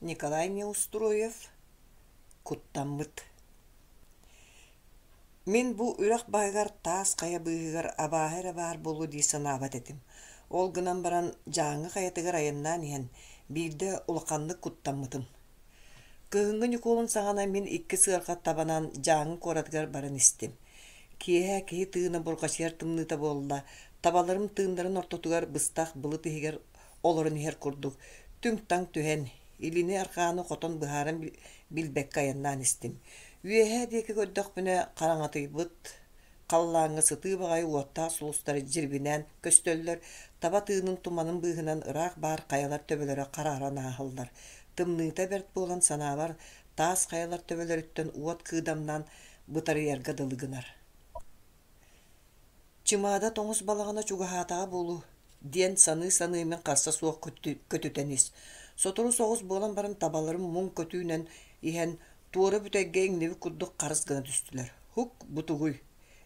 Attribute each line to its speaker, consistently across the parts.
Speaker 1: Николай Неустроев Куттаммыт Мин бу үрэх баһыгар таас хайа быыһыгар абааһы эрэ баар буолуо дии санаабат этим. Ол гынан баран Дьааҥы хайатыгар айаннаан иһэн биирдэ улаханнык куттаммытым. Кыһыҥҥы Ньукуолун саҕана мин икки сыарҕа табанан Дьааҥы куоратыгар баран истим. Киэһэ киһи тыына бурҕачыйар тымныыта буолла, табаларым тыыннарын ортотугар быстах былыт иһигэр олорон иһэр курдук түҥ-таҥ түһэн, илини-арҕааны хотон быһааран билбэккэ айаннаан истим. Үөһээ диэки көрдөхпүнэ, хараҥатыйбыт халлааҥҥа сытыы баҕайы уоттаах сулустар дьирбинээн көстөллөр, таба тыынын туманын быыһынан ыраах баар хайалар төбөлөрө харааран ааһаллар. Тымныыта бэрт буолан санаабар, таас хайалар төбөлөрүттэн уот кыыдамнаан бытарыйарга дылы гынар. Чымаада тоҥус балаҕана чугаһаатаҕа буолуо диэн саныы-саныы мин харса суох көтүтэн ис. Сотору соҕус буолан баран табаларым муҥ көтүүнэн иһэн туора бүтэйгэ иҥнибит курдук харыс гына түстүлэр. «Һук, бу тугуй?»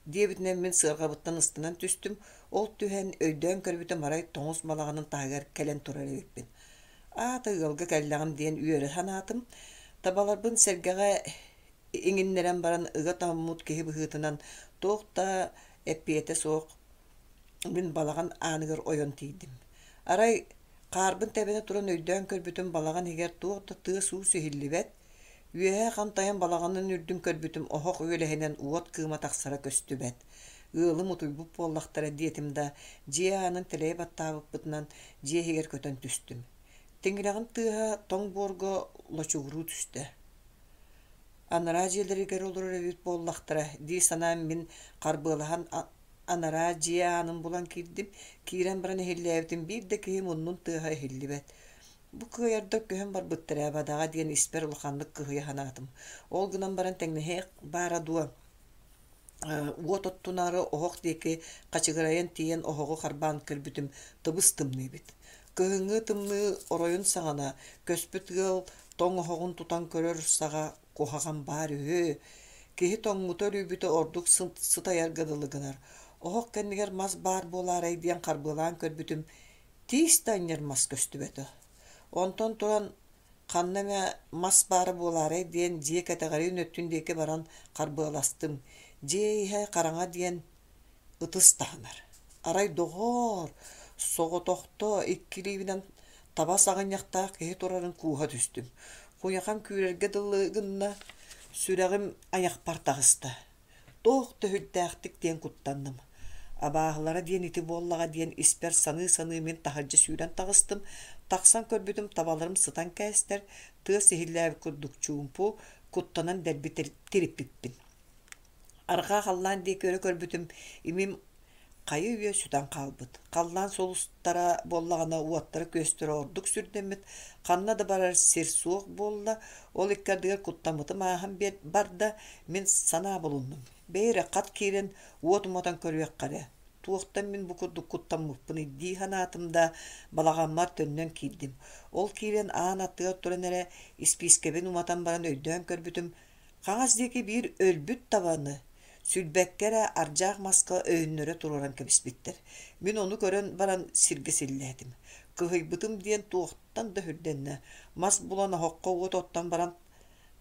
Speaker 1: диэбитинэн мин сыарҕабыттан ыстанан түстүм, ол түһэн өйдөөн көрбүтүм арай тоҥус балаҕанын таһыгар кэлэн турар эбиппин. Аата ыалга кэллэҕим диэн үөрэ санаатым. Табаларбын сэргэҕэ иҥиннэрэн баран ыга тоҥмут киһи быһыытынан туох да эппиэтэ суох мин балаҕан ааныгар ойон тиийдим. Арай хаарбын тэбэнэ туран өйдөөн көрбүтүм балаҕан иһигэр туох да тыас-уус иһиллибэт, үөһэ хантайан балаҕанын үрдүн көрбүтүм оһох үөлэһинэн уот кыыма тахсара көстүбэт. Ыалым утуйбут буоллахтара диэтим да, дьиэ аанын тэлэйэ баттаабыппытынан дьиэ иһигэр көтөн түстүм. Тиҥилэҕим тыаһа тоҥ буорга лочугуруу түстэ. Анараа дьиэлэригэр олорор эбит буоллахтара дии санаан мин харбыалаһан анараа дьиэ аанын булан киирдим. Киирэн баран иһиллээбитим биир да киһи муннун тыаһа иһиллибэт. Бу кыайардар көһөн барбыттар ээ бадаҕа диэн испэр улаханнык кыһыйа санаатым. Ол гынан баран тэҥнэһиэх баара дуо уот оттунаары оһох диэки хачыгырайан тиийэн оһоҕу харбаан көрбүтүм тыбыс-тымныы эбит. Кыһыҥҥы тымныы оройун саҕана көспүт ыал тоҥ оһоҕун тутан көрөр саҕа куһаҕан баар үһү. Киһи тоҥмута үлүйбүтэ ордук сытайарга дылы гынар. Оһох кэннигэр мас баар буолаарай диэн харбыалаан көрбүтүм, тиис да анньар мас көстүбэтэ. Онтон туран Ханна эмэ мас баара буолаарай диэн дьиэ кэтэҕэриин өттүн диэки баран харбыаластым. Дьиэ иһэ хараҥа диэн ытыс таһынар. Арай доҕоор, соҕотохто икки илиибинэн таба саҕынньахтаах киһи турарын кууһа түстүм. Куйахам күүрэргэ дылы гынна, сүрэҕим айахпар таҕыста. Туох да сүрдээхтик диэн куттанным. Абааһылара диэн ити буоллаҕа диэн испэр саныы-саныы мин таһырдьа сүүрэн таҕыстым. Тахсан көрбүтүм табаларым сытан кээстэр, тыас иһиллээбит курдук чуумпу, куттанан дэлби тириппиппин. Арҕаа халлаан диэки өрө көрбүтүм, имим хайы-үйэ сүтэн хаалбыт. Халлаан сулустара буоллаҕына уоттара-күөстэрэ ордук сүрдэммит, ханна да барар сир суох буолла, ол икки ардыгар куттаммытым ааһан барда, мин санаа булуннум. Бэйи эрэ хат киирэн уот уматан көрүөххэ эрэ, туохтан мин бу курдук куттаммыппыный дии санаатым да, балаҕаммар төннөн киирдим. Ол киирэн аан аттыгар туран эрэ испиискэбин уматан баран өйдөөн көрбүтүм, Хаҥас диэки биир өлбүт табаны сүлбэккэ эрэ ардьаах маска өйөннөрө туруоран кэбиспиттэр. Мин ону көрөн баран сиргэ силлээтим. Кыһыйбытым диэн туохтан да сүрдэннэ. Мас булан оһоххо уот оттон баран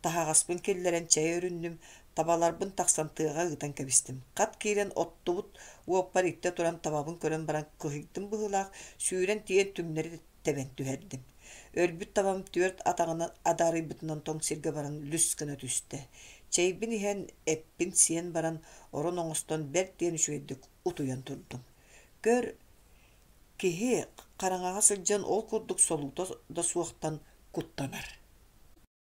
Speaker 1: таһаҕаспын киллэрэн чэй өрүннүм, табаларбын тахсан тыаҕа ыытан кэбистим. Хат киирэн оттубут уоппар иттэ туран табабын көрөн баран кыһыйдым быһыылаах, сүүрэн тиийэн түҥнэри тэбэн түһэрдим. Өлбүт табам түөрт атаҕынан адаарыйбытынан тоҥ сиргэ баран лүс гына түстэ. Чэйбин иһэн, эппин сиэн баран, орон оҥостон бэрт диэн үчүгэйдик утуйан турдум. Көр, киһи хараҥаҕа сылдьан ол курдук солуута да суохтан куттанар.